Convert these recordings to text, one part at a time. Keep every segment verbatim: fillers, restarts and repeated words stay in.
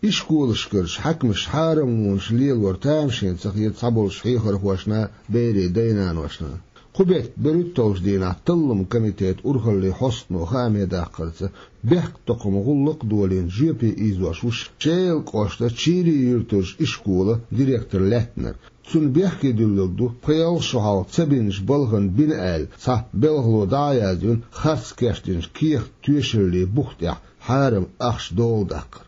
Ишколашкарчу хьаькамаша хьарамлонаш лелор тамашийна ца хета цхьаболчу хьехархошна, берийн дай-наношна. Кху беттан берхӀитталгӀачу дийнахь талламан комитетан урхаллин хьостано хааме даккхарца, бехктокхаман гӀуллакх а долийна, жоьпе ийзош ву Шелан кӀоштан Чийрин юьртарчу ишколан директор лаьттинарг. Цунна бехке дуьллург ду пхи-ялх шо хьалха ца бинчу балхана бина аьлла, цхьа белхало дӀа а яздина, харц кечдинчу кехат-тоьшаллийн бух тӀехь хьарам ахча дола даккхар.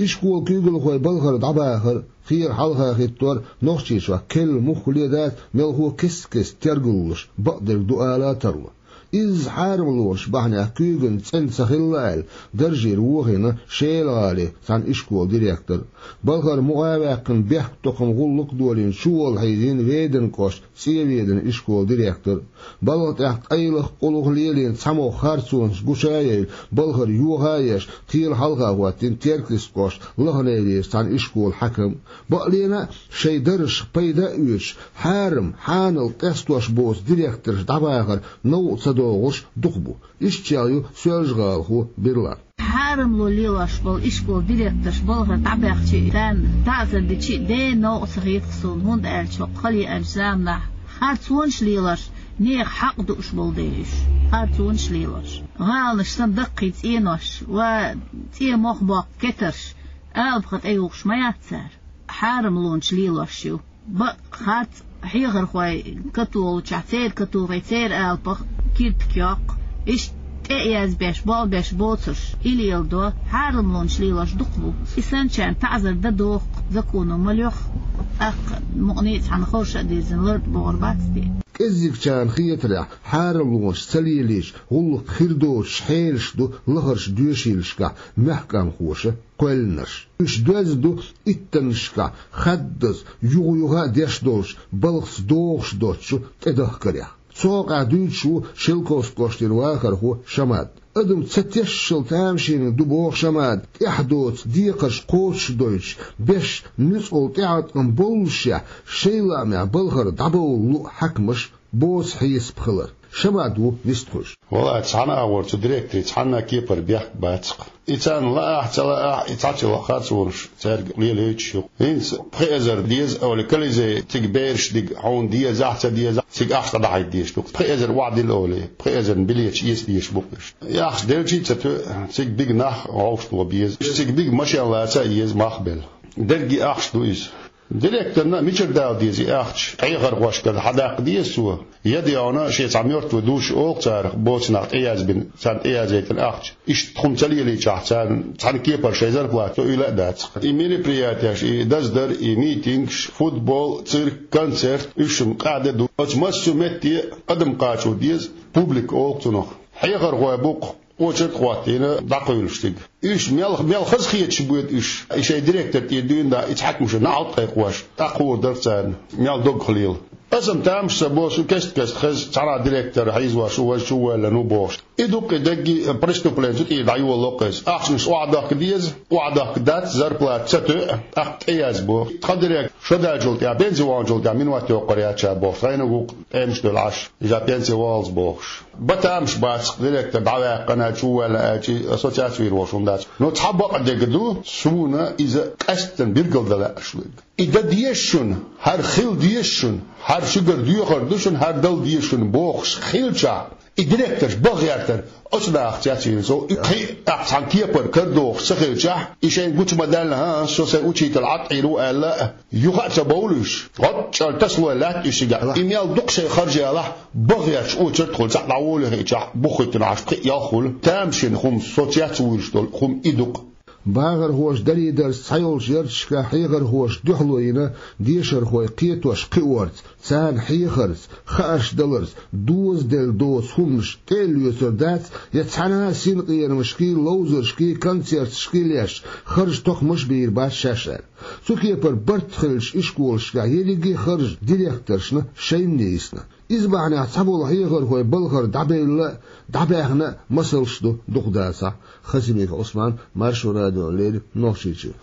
Ишколан куьйгалхой балхара дӀабахар а, кхелан хьалха хӀиттор а Нохчийчохь керла муххале а дац, мелхо а кест-кеста тергаллуш, бакъдерг ду ала а тарло. Изза хьарамлонаш бахьанехь куьйгана цӀена ца хилла аьлла, даржера вохийна Шелан гӀалин цхьана ишколан директор. Балхара мукъа а ваьккхина, бехктокхаман гӀуллакх а долийна, чуволла хьийзийна Веданан кӀоштан ЦӀенведанан ишколан директор. Балха тӀехь къайлаха, къулаха лелийна цхьамогӀа харцонаш гуча а яйна, балхара йоха а еш, кхелан хьалха хӀоттийна Теркйистан кӀоштан Лаханерерчу цхьана ишколан хьаькам. Бакъдолуш а, шайн даржах пайда а оьцуш, хьарам, хьанал къестош боцу директорш дӀабахар новкъа ца догӀурш дукха бу. Иштачех ю соьлжагӀалахо Бирлан. Хьарамло лелош болу ишколан директорш балхара дӀабаьхча а, царна таӀзар дича а, ден новкъа ца хета-кх суна, хӀунда аьлча хӀокху хала еанчу заманахь харцонаш лелош, нехан хьакъ дууш болу дела уьш, харцонаш лелош. ГӀаланаш санна даккхий цӀенош, ва цӀен мох боккху кетарш, алапа тӀеюхуш ма яц цара. Хьарамлонаш лелош ю. Бакъ, харц, хьехархой католучохь, церан католхой церан алапах киртиг йоккху, иштта тӀе а язбеш, болх беш боцурш, и леладо, хьарамлонаш лелош дукха бу. И санначарна таӀзар дан доху-кх законо, ма лоьху, тӀаккха мукъане а цхьаьна хорша а дирзина лар а богӀур бац те. КӀеззигчарна хетарехь, хьарамлонаш ца лелийча, гӀуллакх хир доцуш хьелаш ду лахарчу доьшийлашкахь мехкамхоша кхоьллинарш. Уьш доьзна ду иттаннашкахь хаддаза, юха-юха а деш долчу, балхаца догӀуш доцучу тӀедахкарех. Цу хьокъехь дуьйцуш ву Шелковски кӀоштара вахархо Шамат. Адам ца тешшал тамашийна ду, боху Шамата, тӀаьхьа доцу декхарш кхочушдойтуш, беш нуьцкъала тӀеӀаткъам боллушехь, шайн лаамехь балхара дӀабовла луъу хьаькамаш, боцу хьесап хилар. Шамат ву вистхуьлуш. Валлахь, цхьана агӀор цу директорийн цхьанна а кепара бехк бац-кх. И царна лаахь а, ца лаахь а, и цхьа а ца лаахь а, харцонаш цаьрга лелайойтуш ю. ХӀинца пхи эзар деза олий, Колизей цига бераш дига хьуна дезахь а, ца дезахь а, цига ахча дӀадахьийта дезаш ду. Пхи эзар охьадилла олий, пхи эзарна билеташ эца дезаш бу-кх уьш. И ахча делчий а ца тоьу, цига бига нах вовшахтоха беза. Цига бига машен лаца а еза, мах а белла. Дерриге ахча ду иза. Директорна мичара дала деза и ахча? Хьехархошкара хьадаккха деза цо? Я, дегӀана, шен цхьа мертвый душа олу царах, боцу нах тӀеязбина, царна тӀеязъяйтина ахча. Иштта хӀума ца лелийчахь, царна цхьана кепара шайн зарплата ца уьйла а дац-кх. И мероприятеш, и даздар, и митингаш, футбол, цирк, концерт, уьш-м къаьхьа де ду. Оцу массо а метте адам кхачо деза, публика олу-кх цунах. Хьехархой бу-кх, очередь а хӀоттийна, дӀакхуьйлуш цига. Уьш мел, мел хазахеташ боьду уьш, и шайн директор тӀера дуьйна дӀа, и цхьа хӀуманаш наӀалт а кхайкхош, тӀаккха хуур дара царна, мел доггах лела. Аса-м тамаш ца бо, шу кест-кеста хеза, цхьана директор хьийзош ву, важа чу а воьллина ву бохуш. И ду-кх и дерриге а преступлени, цу тӀера дӀайолало-кх иза. Ахчанаш охьадахка деза, охьадахка дац, зарплата ца тоьу, тӀаккха тӀеязбо. Тхан директор шо даьллачул тӀаьхьа, пенси ваханчул тӀаьхьа минот йоккхур яц ша бохуш, хьайна гуш тӀемаш а девлла Ӏаш, иза пенси валлалц бохуш. Бан тамаш бац-кх директор дӀаваьккхина, чу а воьллина аьлча, ассоциаци вийр волуш хӀума дац. Но цхьа бакъдерг ду, суна иза къаьсттина билгалдан лаьа шу верг. И дан деза шуна, хӀара хила деза шуна, хӀара шуьгара доьхур ду шуна, хӀара дала деза шуна бохуш хилчахь, и директорш баха гӀертара, оцу нахаца яц вийна со, и кхин а цхьана кепара карадохуш ца хилчахь, и шайна гучу ма-даьллинехь, со сайн учитель Ӏад Ӏийр ву аьлла, юха а ца бовлу уьш. ГӀоттӀа чӀара тасалой лаьтта уьш цигахь. И мел дукха шайн харжа ялахь, баха гӀерташ очередь хуьлу, цхьаъ дӀаволавехиъчахь, бухахӀиттина Ӏаш пхиъ-ялх хуьлу. Тамашийна хӀума, соца яц вуьйлуш долу хӀума и ду-кх. Бахархоша дарий-дарца цхьайолчу ярташкахь хьехархоша дуьхьало йина дешархой кхетош кхиорца, царна хьехарца, хаарш даларца, дозаделла доцу хӀуманаш тӀе а лоьцур дац, я цхьана а синкъерамашкий, ловзаршкий, концерташкий леш, харж тохамаш а бийр бац шаьш аьлла. Цу кепара барт хиллачу ишколашкахь ерриге а харж директоршна шайна нийсна. Иза бахьанехь цхьаболу хьехархой балхара дӀабевлла а, дӀабаьхна а масалш ду дукха дацахь. Хасимиков Ӏусман, Маршо радиона леррина, Нохчийчуьра.